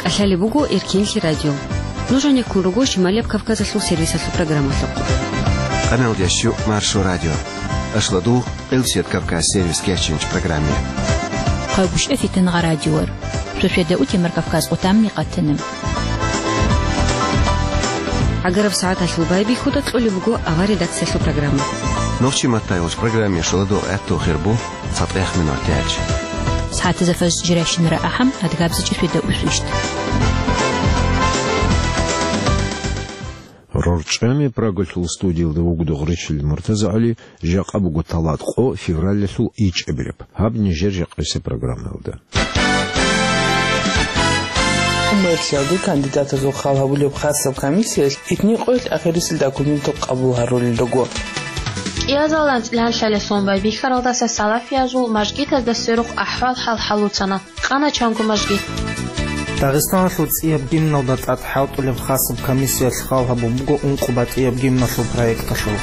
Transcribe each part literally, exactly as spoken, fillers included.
Лъалеб буго Эркенлъи радио. Нуж гьанеккун руго Шималияб Кавказалъул сервисалъул программалъухъ. Къаналдящу Маршо радио. Ашладу Къилсият Кавказ сервис кечинч программе. Хъайгуща фитангъа радиор. Швешведа утемар Кавказ отамни къатанам. Агараб сагӀаталъул байбихьуда кьолеб буго авар редакциялъул программа. Нохчи матаялъ программе шуладу гӀатту хирбу. ЦатӀех минутач. СагӀатазда фажр жирайщинара ахӀам, адгабзичӀи фида усвищт. РорчӀами Прагалъул студиялда вугода Гъречил МуртазагӀали, жакъа буго талат къо февралалъул ичӀабилеб. Гьаб нижер жакъасе программаялда. Мерлъиялде кандидатазул хал гьабулеб хасаб комиссиялъ итни къоялъ ахирисел документал къабул гьарулел руго. КӀиазал анцӀила лъалесун байбихьаралдаса салафиязул мажгитазда сверухъ ахӀвал-хӀал хӀалуцана. Къана чанго мажгит. Дагъистаналъул цӀияб гимналда тӀад хӀалтӀулеб хасаб комиссиялъ хал гьабун буго ункъо батӀияб гимналъул проекталъул.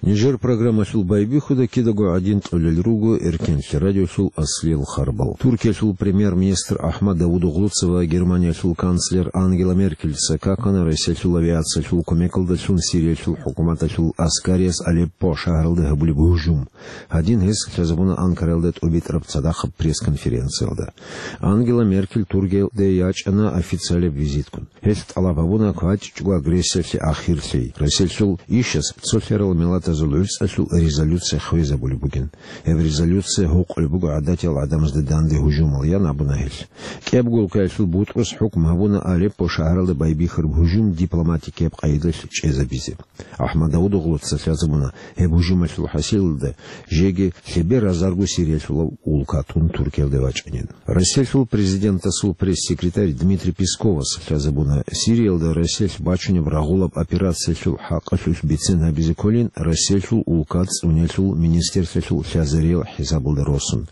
Нижер программалъул байбихьуда кидаго гӀадин тӀолел руго Эркенлъи радиолъул аслиял харбал. Туркиялъул премьер-министр Ахмад Давудоглуца ва Германиялъул канцлер Ангела Меркельца какана Россиялъул авиациялъул кумекалдалъун Сириялъул хӀукуматалъул аскарияс Алеппо шагьаралда гьабулеб гьужум. Гьадин гьес лъазабуна Анкаралда тӀубитӀараб цадахъаб пресс-конференциялда. Ангела Меркель Туркиялде ячӀана официалаб визиткун. Гьелъ тӀалаб гьабуна квачӀчӀго агрессиялъе ахирлъи, Россиялъул ишас цолъарал миллатазул гӀуцӀалъул резолюция хвезабулеб бугин. Гьеб резолюция гьукъулеб буго гӀадатиял гӀадамазда данде гьужумал, ян абуна гьелъ. КӀиябго улкаялъул бутӀрус хӀукму гьабуна Алеппо шагьаралда байбихьараб гьужум дипломатикияб къайдалъ чӀезабизе. Ахмад Давудоглуца лъазабуна гьеб гьужумалъул хӀасилалда жеги лъебе разарго Сириялъулав улкатун Туркиялде вачӀанин. Россиялъул президентасул пресс-секретарь Дмитрий Песковас лъазабуна Сириялда Россиялъ бачунеб рагъулаб операциялъул хӀакъалъулъ бицен гьабизе кколин Россиялъул улка цӀунелъул министрлъиялъул лъазариял хӀисабалда росун.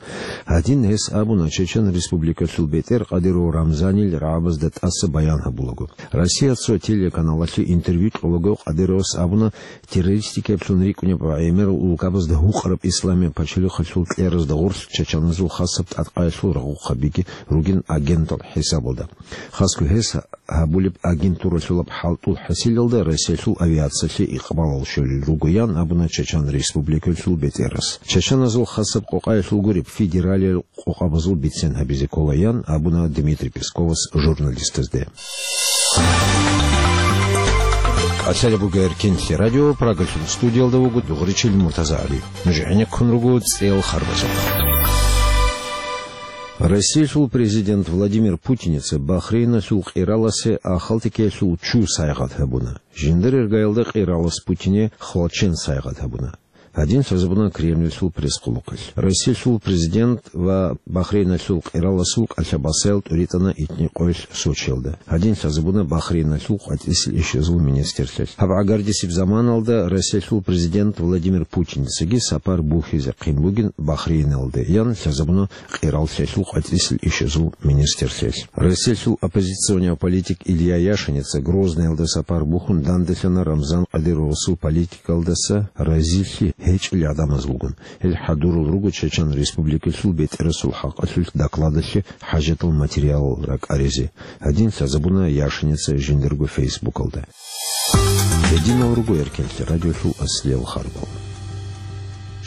Гьадин гьес абуна Чечен Республикалъул бетӀер Кадыров Рамзанил рагӀабазда тӀаса баян гьабулаго. Россия цо телеканалалъе интервью кьолаго Кадыровас абуна, террористикаблъун рикӀкӀунеб ва гӀемерал улкабазда гьукъараб Исламияб пачалихъалъул кьеразда гъорлъ чачаназул хасаб тӀадкъаялъул рагъухъабиги ругин агентал хӀисабалда. Хасго гьес гьабулеб агентуралъулаб хӀалтӀул хӀасилалда Россиялъул авиациялъе икъбалал щолел руго, ян абуна Чечен Республикалъул бетӀерас. Чачаназул хасаб къокъаялъул гуреб федералиял къокъабазул бицен гьабизе ккола, ян абуна Дмитрий Песковас журналистазде. КӀалъалеб буго Эркенлъи радио, Прагалъул студиялда вуго Дугъричил МуртазагӀали. Нуж гӀенеккун руго цӀел харбазухъ. Россиялъул президент Владимир Путиница Бахрейналъул къираласе ахалтекиялъул чу сайгъат гьабуна. Жиндир иргаялда къиралас Путине хвалчен сайгъат гьабуна. Гьадин лъазабуна Кремльлъул пресс-къулухъалъ. Россиялъул президент ва Бахрейналъул къираласул кӀалъабасаял тӀуритӀана итни къоялъ Сочиялда. Гьадин лъазабуна Бахрейналъул къватӀисел ишазул министрлъиялъ. Гьаб гӀагардисеб заманалда Россиялъул президент Владимир Путиницаги сапар бухьизе хъин бугин Бахрейналде, ян лъазабуна къираллъиялъул къватӀисел ишазул министрлъиялъ. Россиялъул оппозиционияв политик Илья Яшиница Грозныялда сапар бухьун данделъана Рамзан Кадыровасул политикалдаса разилъи гьечӀел гӀадамазулгун. Гьел хӀадурал руго Чечен Республикалъул бетӀерасул хӀакъалъулъ докладалъе хӀажатал материалал ракӀаризе. Гьадин лъазабуна Яшиница жиндирго фейсбукалда. Гьединал руго Эркенлъи радиолъул аслиял харбал.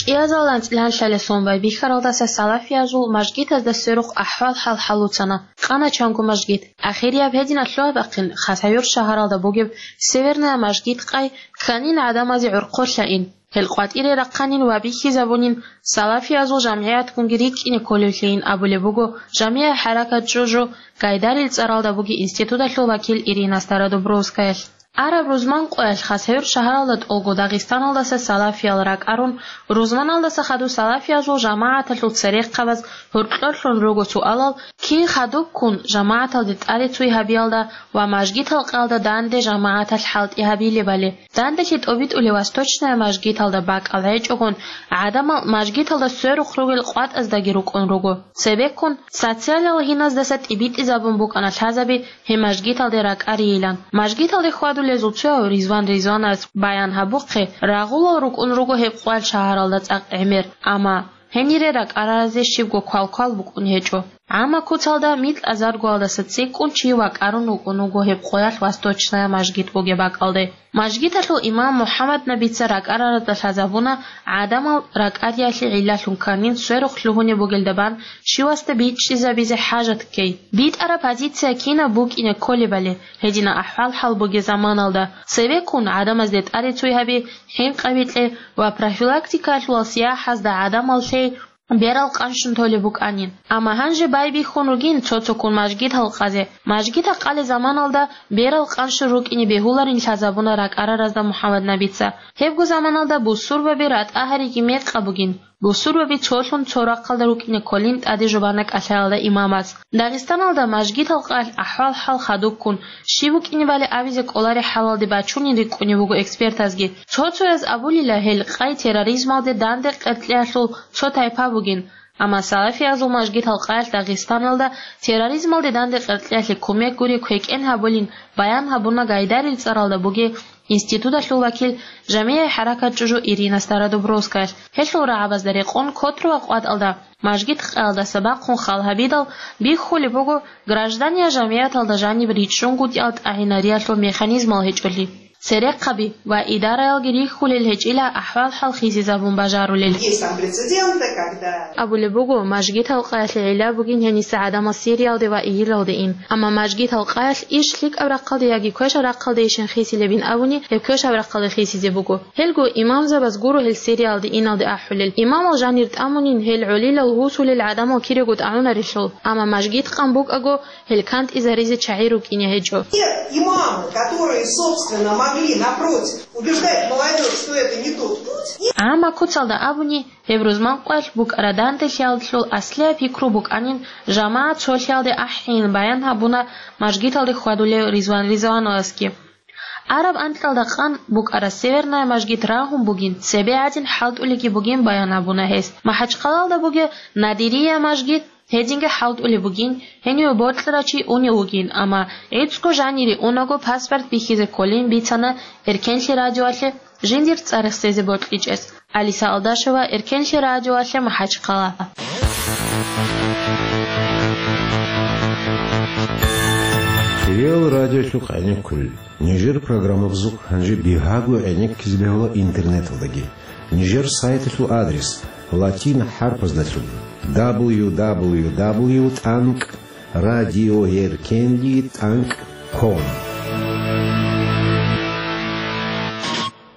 КӀиазал анцӀила лъалесун байбихьаралдаса салафиязул мажгитазда сверухъ ахӀвал-хӀал хӀалуцана. Къана чанго мажгит. Ахирияб гьединаб лъугьа-бахъин ХасавюртӀ шагьаралда бугеб Северная мажгит къай кканин гӀадамазе гӀурхъулъа ин. Гьел къватӀире рахъанин ва бихьизабунин салафиязул жамгӀиятгунги рикӀкӀине кколевлъейин абулеб буго жамигӀи хӀаракат ЧӀужу Гайдарил цӀаралда бугеб институталъул вакил Ирина Стародубровскаялъ. Араб рузман къоялъ ХасавюртӀ шагьаралда тӀолго Дагъистаналдаса салафиял ракӀарун, рузманалдаса хадуб салафиязул жамагӀаталъул церехъабаз гьоркьорлъун руго суалал: кин хадубккун жамагӀаталде тӀаде цуй гьабиялда ва мажгитал къаялда данде жамагӀаталъ хӀалтӀи гьабилебали? Данделъи тӀобитӀулев Восточная мажгиталда бакӀал гьечӀогун, гӀадамал мажгиталда сверухъ ругел къватӀаздаги рукӀун руго. Цебеккун, социалиял гьиназдаса тӀибитӀизабун букӀана лъазаби гьеб мажгиталде ракӀарийилан. Мажгиталде хьвадулезул цояв Ризван Ризвановас баян гьабухъе, рагъулал рукӀун руго гьеб къвал шагьаралда цӀакъ гӀемер, амма гьенире ракӀаразе щибго квалквал букӀун гьечӀо. ГӀамма куцалда микьа заргуялдаса цӀикӀкӀун чи вакӀарун вукӀун вуго гьеб къоялъ Восточная мажгит бугеб бакӀалде. Мажгиталъул имам МухӀаммад Набица ракӀараразда лъазабуна, гӀадамал ракӀариялъе гӀиллалъун кканин сверухъ лъугьунеб бугелда бан щивасда бичӀчӀизабизе хӀажат ккей. БитӀараб позиция кинаб букӀине кколебали, гьединаб ахӀвал-хӀал бугеб заманалда, цевеккун гӀадамазде тӀаде цуй гьаби, хӀинкъаби кье ва профилактикаялъувал сияхӀазда гӀадамал лъей берал къанщун толеб букӀанин. Амма гьанже байбихьун ругин цо-цоккун мажгит гьалкъазе. Мажгит гьалкъалеб заманалда берал къанщун рукӀине бегьуларин лъазабуна ракӀараразда МухӀаммад Набица. Гьебго заманалда бусурбаби ратӀа гьариги мекъаб бугин. Бусурбаби цолъун цо рахъалда рукӀине кколин тӀаде жубана кӀалъаялда имамас. Дагъистаналда мажгит гьалкъаялъ ахӀвал-хӀал хадубккун, щиб букӀинебали абизе кӀолареб хӀалалде бачунин рикӀкӀунеб буго экспертазги. Цо-цояз абулила гьел къай терроризмалде данде къеркьеялъул цо тайпа бугин. Амма салафиязул мажгит гьалкъаялъ Дагъистаналда терроризмалде данде къеркьеялъе кумек гури квекӀен гьабулин баян гьабуна Гайдарил цӀаралда бугеб институталъул вакил, жамигӀи хӀаракат чӀужу Ирина Стародубровскаялъ. Гьелъул рагӀабазда рекъон Котрово къватӀалда мажгит къаялдаса бахъун хал гьабидал бихьулеб буго граждания жамигӀаталда жаниб ричӀчӀунгутӀиялъ тӀагӀинариялъул механизмал гьечӀолъи, церехъаби ва идараялги рихьулел гьечӀила ахӀвал-хӀал хисизабун бажарулел. Есть там прецеденты, когда Абулеб буго, мажгит гьалкъаялъе гӀилла бугин гьениса гӀадамал Сириялде ва ИГИЛалде ин. Амма мажгит гьалкъаялъ иш лъикӀаб рахъалде яги квешаб рахъалдейищин хисилебин абуни, гьеб квешаб рахъалде хисизе буго. Гьелго имамзабаз гуро гьел Сириялде иналде ахӀулел. Имамал жанир тӀамунин гьел гӀолилал гьусулел гӀадамал кирего тӀагӀунарелъул, амма мажгит къан букӀаго, гьел кантӀизаризе чагӀи рукӀине гьечӀо. Те имамы, которые, собственно, могли, напротив, убеждать молодёжь, что это не тот путь, и ГӀамма куцалда абуни, гьеб рузманкъваялъ букӀараб данделъиялъул аслияб пикру букӀанин, жамагӀат цолъиялде ахӀейин баян гьабуна мажгиталде хьвадулев Ризван Ризвановасги. Араб анкьалда къан букӀараб Северная мажгит рагьун бугин, цебе гӀадин хӀалтӀулебги бугин баян гьабуна гьес. МахӀачхъалалда бугеб Надирия мажгит гьединги хӀалтӀулеб бугин, гьениве бокьарав чи унев вугин, амма гӀицӀго жанире унаго паспорт бихьизе кколин бицана Эркенлъи радиоялъе жиндир цӀар рехсезе бокьичӀес. Алиса Алдашева, Эркенлъи радиоялъе, МахӀачхъала. Лео радиолъухъ гӀенеккулел. Нижер программабазухъ гьанже бигьаго гӀенеккизе бегьула интернеталдаги. Нижер сайталъул адрес латин хӀарпаздалъун: дабл ю дабл ю дабл ю тӀанкӀ радиоэркенли тӀанкӀ ком.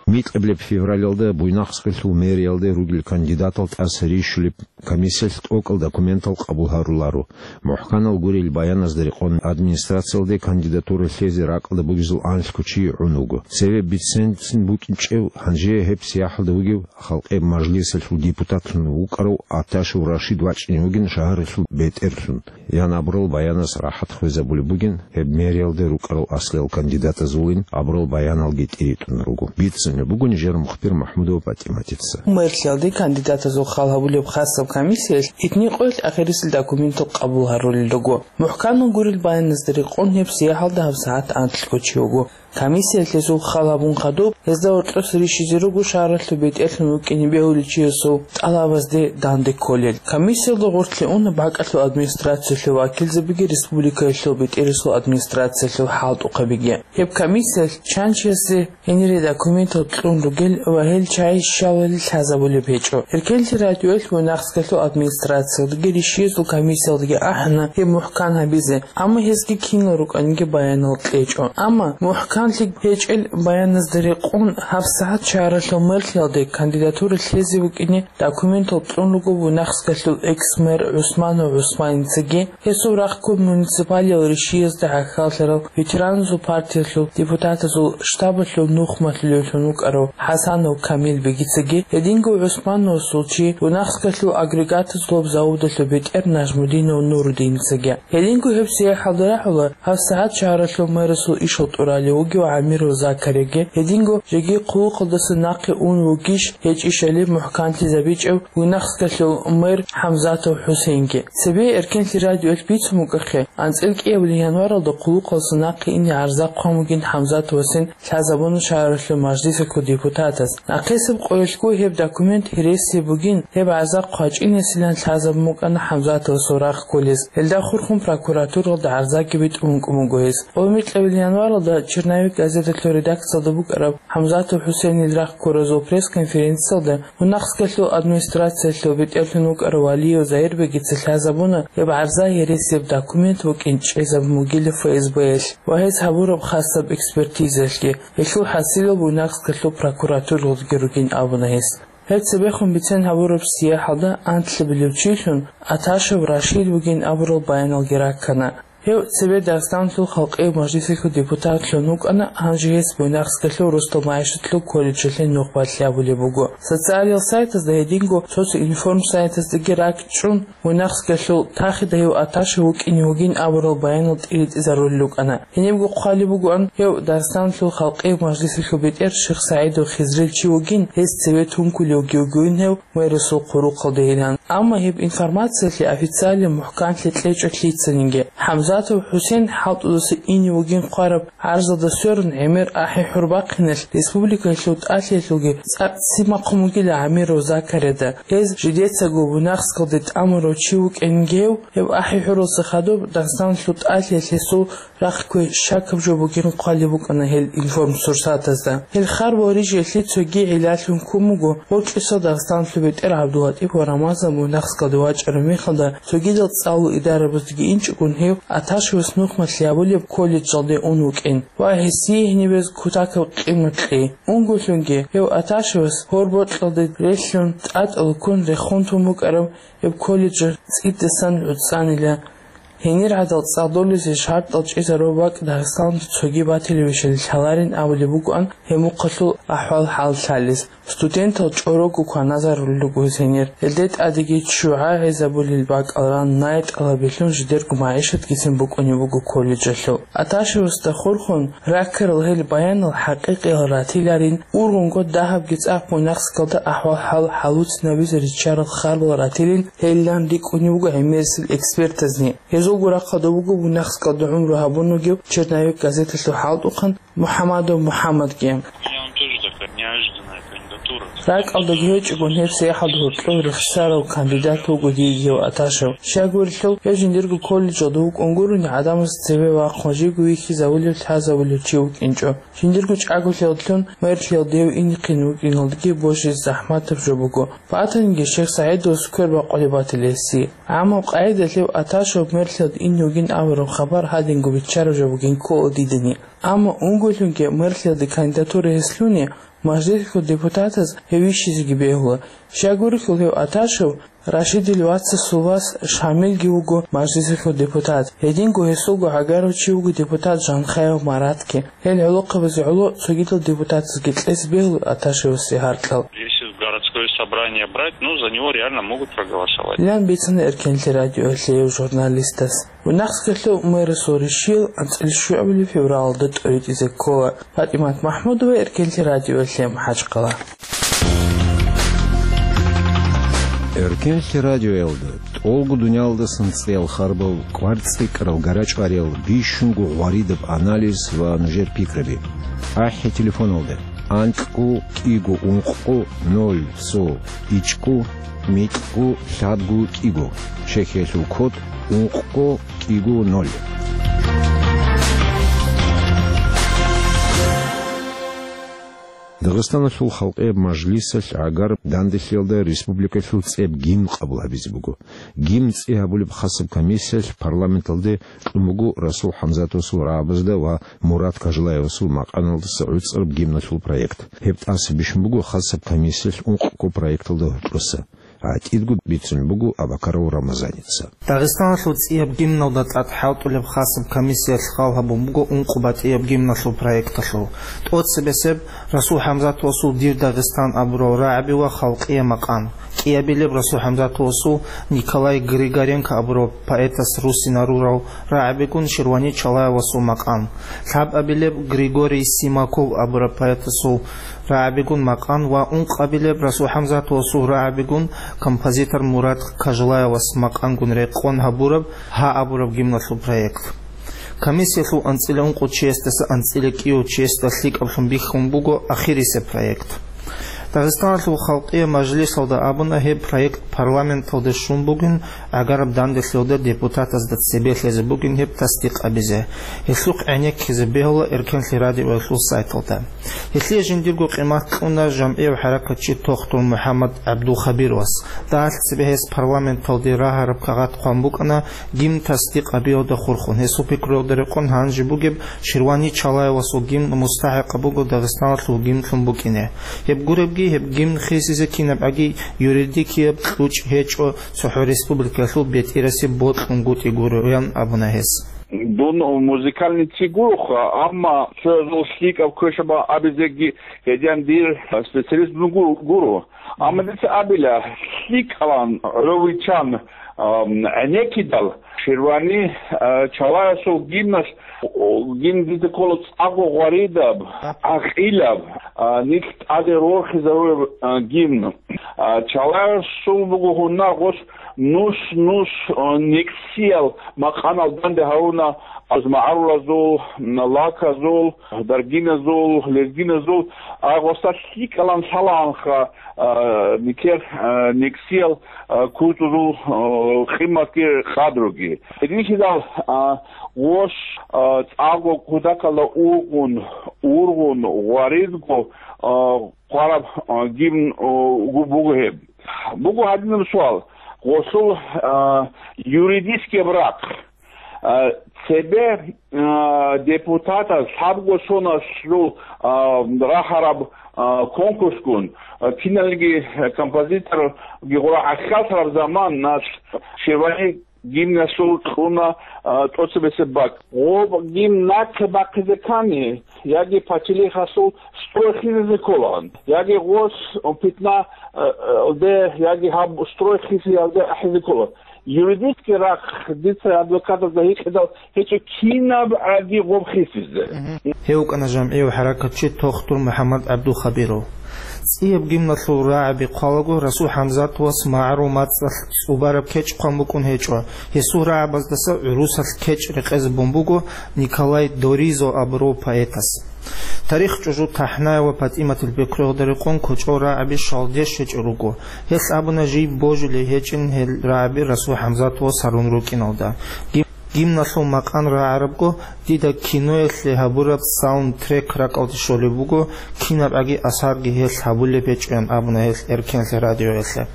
Микьабилеб февралалда Буйнакскалъул мэриялде ругел кандидатал тӀаса рищулеб комиссиялъ тӀокӀал документал къабул гьаруларо. МухӀканал гурел баяназда рекъон администрациялде кандидатура лъезе ракӀалда бугезул анлъго чи гӀун вуго. Цеве бицен-бицен букӀинчӀев, гьанже гьеб сияхӀалда вугев халкъеб мажлисалъул депутатлъун вукӀарав Аташев Рашид вачӀине вугин шагьаралъул бетӀерлъун. Ян абурал баянас рахӀат хвезабулеб бугин гьеб мэриялде рукӀарал аслиял кандидатазулин абурал баяналги тӀиритӀун руго. Бицунеб буго нижер мухбир МахӀмудова ПатӀиматица. Мэрлъиялде кандидатазул хал гьабулеб хасаб комиссиялъ итни къоялъ ахирисел документал къабул гьарулел руго. МухӀканал гурел баяназда рекъон гьеб сияхӀалда гьабсагӀат анлъго чи вуго. Комиссиялъ гьезул хал гьабун хадуб, гьезда гьоркьоса рищизе руго шагьаралъул бетӀерлъун вукӀине бегьулев чиясул тӀалабазде данде кколел. Комиссиялда гъорлъе уна бакӀалъул администрациялъул вакилзабиги республикаялъул бетӀерасул администрациялъул хӀалтӀухъабиги. Гьеб комиссиялъ чан чиясе гьенире документал кьун ругел ва гьел чагӀи щалали лъазабулеб гьечӀо. Эркенлъи радиоялъ Буйнакскалъул администрациялдаги рищиязул комиссиялдаги ахӀана гьеб мухӀкан гьабизе, амма гьезги кинал рукӀаниги баянал кьечӀо. Амма мухӀканлъи гьечӀел баяназда рекъон гьабсагӀат шагьаралъул мэрлъиялде кандидатура лъезе вукӀине документал кьун руго Буйнакскалъул экс-мэр ГӀусманов ГӀусманицаги, гьесул рахъго муниципалиял рищиязда гӀахьаллъарал ветераназул партиялъул депутатазул штабалъул нухмалъулевлъун вукӀарав ХӀасанов Камил бегицаги, гьединго ГӀусмановасул чи, Буйнакскалъул агрегатазулаб заводалъул бетӀер Нажмудинов Нурудиницаги. Гьединго гьеб сияхӀалда рагӀула гьабсагӀат шагьаралъул мэрасул ишал тӀуралев ва ГӀамиров Закариги, гьединго жеги хъулухъалдаса нахъе ун вугищ гьечӀищали мухӀканлъизабичӀев Буйнакскалъул мэр ХӀамзатов ХӀусейнги. Цебе Эркенлъи радиоялъ бицун букӀахъе, анцӀила кӀиабилеб январалда хъулухъалдаса нахъе ине гӀарза хъван бугин ХӀамзатовасин лъазабуна шагьаралъул мажлисалъул депутатас. Нахъисеб къоялъго гьеб документ гьересияб бугин, гьеб гӀарза хъвачӀинесилан лъазабун букӀана ХӀамзатовасул рагъ кколез. Гьелда хурхун прокуратуралда гӀарзаги битӀун букӀун буго гьес. Гьеб микьабилеб январалда «Черновик» газеталъул редакциялда букӀараб ХӀамзатов ХӀусейнил рагъ ккоразул пресс-конференциялда Буйнакскалъул администрациялъул бетӀерлъун вукӀарав Валиев Загьирбегица лъазабуна гьеб гӀарза гьересияб документ букӀин чӀезабун бугила ФСБ-ялъ ва гьез гьабураб хасаб экспертизаялъги. Гьелъул хӀасилал Буйнакскалъул прокуратуралдаги ругин абуна гьес. Гьеб цебехун бицен гьабураб сияхӀалда анлъабилев чилъун Аташев Рашид вугин абурал баяналги раккана. Гьев цебе Дагъистаналъул халкъиял мажлисалъул депутатлъун вукӀана, гьанже гьес Буйнакскалъул росдал магӀишатлъул колледжалъе нухбалъи гьабулеб буго. Социалияб сайтазда гьединго социнформ сайтаздаги ракӀчӀун, Буйнакскалъул тахида гьев Аташев вукӀине вугин абурал баянал тӀиритӀизарулел рукӀана. Гьенибго хъвалеб бугоан, гьев Дагъистаналъул халкъиял мажлисалъул бетӀер Шихсагьидов Хизрил чи вугин, гьес цеве тункулев вугевин гьев мэрасул хъулухъалдейилан. Амма гьеб информациялъе официалияб мухӀканлъи кьечӀо лъицаниги. ХӀамзатов ХӀусейн хӀалтӀудаса ине вугин хъвараб гӀарзалда сверун гӀемер ахӀи-хӀур бахъиналъ республикалъул тӀалъиялъулги цӀакъ ццин бахъун бугила ГӀамиров Закарияда. Гьез жидецаго Буйнакскалде тӀамурав чи вукӀин гьев, гьеб ахӀи-хӀуралъа хадуб Дагъистаналъул тӀалъиялъ гьесул рахъ кквей щакаб жо бугин хъвалеб букӀана гьел информсурсатазда. Гьел харбал рижиялъе цоги гӀиллалъун ккун буго, гьоркьоса Дагъистаналъул бетӀер ГӀабдуллатӀип ва Рамазан Буйнакскалде вачӀараб мехалда цогидал цӀалул идарабаздаги инчӀогун гьев Аташевас нухмалъи гьабулеб колледжалде ун вукӀин ва гьесие гьенибез кутакаб къимат кьей. Унголъунги гьев Аташевас гьорбокьалде релълъун тӀатӀал ккун рехун тун букӀараб гьеб колледж цӀидасан гӀуцӀанила. Гьенир гӀадал цӀадолезе шартӀал чӀезарураб бакӀ Дагъистаналда цоги батилевищали лъаларин абулеб букӀан гьеб мухъалъул ахӀвал-хӀал лъалес. Студентал чӀорого кваназарулел руго гьез гьенир. Гьелде тӀадеги ччугӀа гӀезабулел бакӀал ран, най тӀалабилъун жидерго магӀишатгицин букӀунеб буго колледжалъул. Аташевасда хурхун раккарал гьел баянал хӀакъикъиял ратиларин, ургъунго дагьабги цӀакъ Буйнакскалда ахӀвал-хӀал хӀалуцинабизе риччарал харбал ратилин гьелилан рикӀкӀунеб буго гӀемерисел экспертазни. Гьезулго рахъалда буго Буйнакскалда гӀумру гьабун вугев «Черновик» газеталъул хӀалтӀухъан МухӀамадов МухӀамадги. Мне он тоже такая неожиданная кандидатура. РакӀалдаги гьечӀогун гьеб сахӀалда гьоркьов рехсарав кандидат вуго диеги гьев Аташев. Щайгурелъул, гьев жиндирго колледжалда вукӀун гурони гӀадамаз цеве вахъун живго вихьизавулев, лъазавулев чи вукӀинчӀо. Жиндирго чӀаголъиялъун мэрлъиялде гьев инехъин вукӀиналдаги божизе захӀматаб жо буго. Батаниги Шихсагьидовас квер бакъулеб батила гьесие. Амма къайдалъ гьев Аташев мэрлъиялде ине вугин абураб хабар гьадинго биччараб жо бугин ккола дидани. Амма унголъунги мэрлъиялде кандидатура гьес лъуни, мажлисалъул депутатаз гьев вищизеги бегьула. Щайгурелъул гьев Аташев Рашидил вацасул вас Шамилги вуго мажлисалъул депутат. Гьединго гьесулго гӀагарав чи вуго депутат Жанхаев Маратги. Гьел гӀолохъабазе гӀоло цогидал депутатазги кьезе бегьула Аташевасе гьаркьал. Если в городское собрание брать, ну, за него реально могут проголосовать. Лан бицана Эркенлъи радиоялъе гьев журналистас. Буйнакскалъул мэрасул ришиял анцӀила щуабилеб февралалда тӀоритӀизе ккола. ПатӀимат МахӀмудова, Эркенлъи радиоялъе, МахӀачкъала. Эркенлъи радиоялда тӀолго дуниялдасан цӀеял харбал, кӀвар цӀикӀкӀарал гарачӀвариял, бищунго гъваридаб анализ ва нужер пикраби. АхӀи телефоналда: анкьго кӀиго ункъго ноль цо ичӀго микьго лъабго кӀиго, чехиялъул код ункъго кӀиго ноль. Дагъистаналъул халкъияб мажлисалъ гӀагараб данделъиялда республикалъул цӀияб гимн къабул гьабизе буго. Гимн цӀи гьабулеб хасаб комиссиялъ парламенталде кьун буго Расул ХӀамзатовасул рагӀабазда ва Мурат Кажалаевасул макъаналдаса гӀуцӀараб гимналъул проект. Гьеб тӀаса бищун буго хасаб комиссиялъ ункъго проекталда гьоркьоса. ГӀатӀидго бицун буго Абакаров Рамазаница. Дагъистаналъул цӀияб гимналда тӀад хӀалтӀулеб хасаб комиссиялъ хал гьабун буго ункъо батӀияб гимналъул проекталъул. ТӀоцебесеб Расул ХӀамзатовасул «Дир Дагъистан» абурал рагӀаби ва халкъияб макъам. кӀиабилеб Расул ХӀамзатовасул Николай Григоренко абураб поэтас руссинарурал рагӀабигун Ширвани Чалаевасул макъан, лъабабилеб Григорий Симаков абураб поэтасул рагӀабигун макъан ва ункъабилеб Расул ХӀамзатовасул рагӀабигун композитор Мурад Кажлаевас макъангун рекъон гьабураб гьа абураб гимналъул проект. Комиссиялъул анцӀила ункъо чиясдаса анцӀила кӀиго чиясда лъикӀаблъун бихьун буго ахирисеб проект. Дагъистаналъул Халкъияб Мажлисалда абуна, гьеб проект парламенталде щун бугин, гӀагараб данделъиялда депутатазда цебе лъезе бугин гьеб тасдикъ гьабизе. Гьелъухъ гӀенеккизе бегьула Эркенлъи радиоялъул сайталда. Гьелъие жиндирго къимат кьуна жамгӀияв хӀаракатчи Тохтур МухӀаммад ГӀабдулхабировас. Дагьалъ цебе гьес парламенталде рагьараб кагъат хъван букӀана гимн тасдикъ гьабиялда хурхун. Гьесул пикруялда рекъон гьанже бугеб Ширвани Чалаевасул гимн мустахӀикъаб буго Дагъистаналъул гимнлъун букӀине. Гьеб гуребги, гьеб гимн хисизе кинабгӀаги юридикияб кьучӀ гьечӀо, цохӀо республикаялъул бетӀерасеб бокьунгутӀи гуроян абуна гьес. Дун музыкальный ци гуроха, амма цоязул лъикӀаб квешаб абизеги гьедин дир специалист дун гу-, гуро. Амма дица абила, лъикӀалан гӀоловичан, ам, гӀенеккидал, Ширвани, а, Чалаевасул гимналъ, о, гимн дида ккола цӀакъго гъваридаб, гӀакъилаб, а, нилъ тӀаде рорхизарураб, а, гимн. А, Чалаевасул буго гьунар гъос нус-нус, а, некӀсиял макъанал данде гьавуна, аз магӀарулазул, лаказул, даргиназул, лезгиназул, а, гъоса лъикӀалан лъалаанха, а, никер, а, некӀсиял, а, кутузул, а, къиматги къадруги. Гьединлъидал, а, гъос, а, цӀакъго кутакалда ургъун, ургъун, гъваридго, а, хъвараб, а, гимн, а, гу-, буго гьеб. Буго гьадинаб суал. Гъосул, а, юридический рахъ. А, цебе, а, депутатаз лъабго соналъул, а, рахараб, а, конкурсгун, а, киналги композиторги гъура гӀахьаллъараб заман нас Ширвани гимнасул кьуна, а, тӀоцебесеб бакӀ. Гъоб гимн нахъе бахъизе ккани, яги пачалихъасул строй хисизе кколаан, яги гъос питна, а, а, де, яги гьаб строй хисиялде ахӀизе ккола. Юридический рахъ дица адвокатазда гьикъидал гьечӀо кинаб гӀаги гъоб хисизе. Гьев вукӀана жамгӀияв хӀаракатчи Тохтур МухӀаммад ГӀабдулхабиров. ЦӀияб гимналъул рагӀаби хъвалаго Расул ХӀамзатовас магӀарул мацӀалъ цӀубараб кечӀ хъван букӀун гьечӀо, гьесул рагӀабаздаса гӀурусалъ кечӀ рекъезабун буго Николай Доризо абурав поэтас. Тарих чӀужу ТахӀнаева ПатӀиматил пикруялда рекъон кочӀол рагӀаби щалдеш гьечӀо руго. Гьелъ абуна жий божулей гьечӀин гьел рагӀаби Расул ХӀамзатовас гьарун рукӀиналда. Гимналъул макъан рагӀарабго, дида киноялъе гьабураб саундтрек ракӀалде щолеб буго, кинабгӀаги асарги гьелъ гьабулеб гьечӀоян абуна гьел Эркенлъи радиоялъе.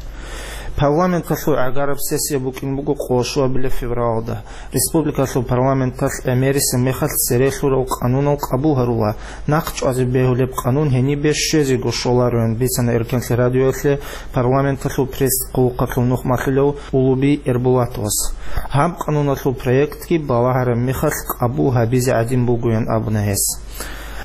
Парламенталъул гӀагараб сессия букӀин буго къоло щуабилеб февралалда. Республикалъул парламенталъ гӀемерисеб мехалъ церелъурал къанунал къабул гьарула. Нахъ чӀвазе бегьулеб къанун гьенибе щвезего щолароян бицана Эркенлъи радиоялъе парламенталъул пресс-хъулухъалъул нухмалъулев Улуби Эрбулатовас. Гьаб къануналъул проектги балагьараб мехалъ къабул гьабизе гӀадин бугоян абуна гьес.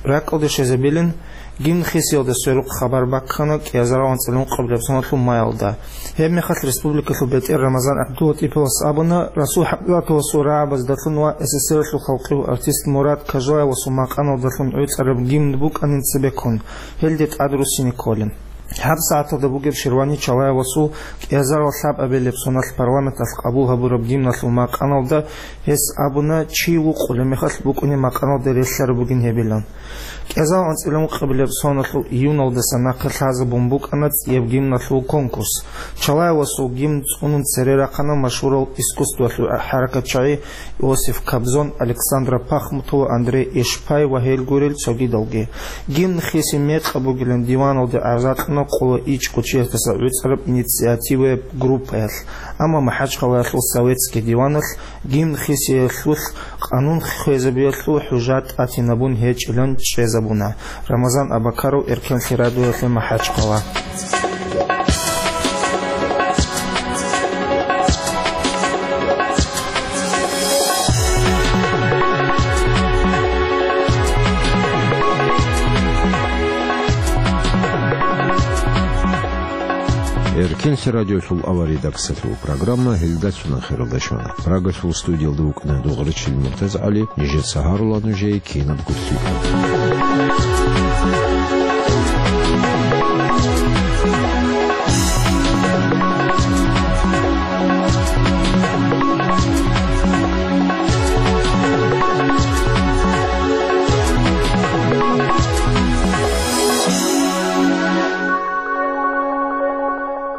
РакӀалде щвезабилин, гимн хисиялда сверухъ хабар баккана кӀиазарал анцӀила ункъабилеб соналъул маялда. Гьеб мехалъ республикалъул бетӀер Рамазан ГӀабдулатӀиповас абуна, Расул ХӀамзатовасул рагӀабаздалъун ва СССР-алъул халкъияв артист Мурад Кажлаевасул макъаналдалъун гӀуцӀараб гимн букӀанин цебеккун, гьелде тӀад руссине кколин. ГьабсагӀаталда бугеб Ширвани Чалаевасул кӀиазарал лъабабилеб соналъ парламенталъ къабул гьабураб гимналъул макъаналда гьес абуна, чи вукъулеб мехалъ букӀунеб макъаналда релълъараб бугин гьебилан. КӀиазарал анцӀила ункъабилеб соналъул июналдаса нахъе лъазабун букӀана цӀияб гимналъул конкурс. Чалаевасул гимн цӀунун цере рахъана машгьурав искусствоялъул хӀаракатчагӀи Иосиф Кобзон, Александра Пахмутова, Андрей Эшпай ва гьел гурел цогидалги. Гимн хиси мекъаб бугилан диваналде гӀаза кьуна къоло ичӀго чиясдаса гӀуцӀараб инициативаяб группаялъ, амма МахӀачхъалаялъул Советский диваналъ гимн хисиялъулъ къанун хвезабиялъул хӀужа тӀатинабун гьечӀилан чӀезабуна. Рамазан Абакаров, Эркенлъи радиоялъе, МахӀачхъала. Эркенлъи радиолъул авария даксалъул программа гьелдалъун ахиралда щвана. Прагасул студиялда вукӀана Дугъричил МуртазгӀали, нижеца гьарула нужее кинабго лъикӀаб.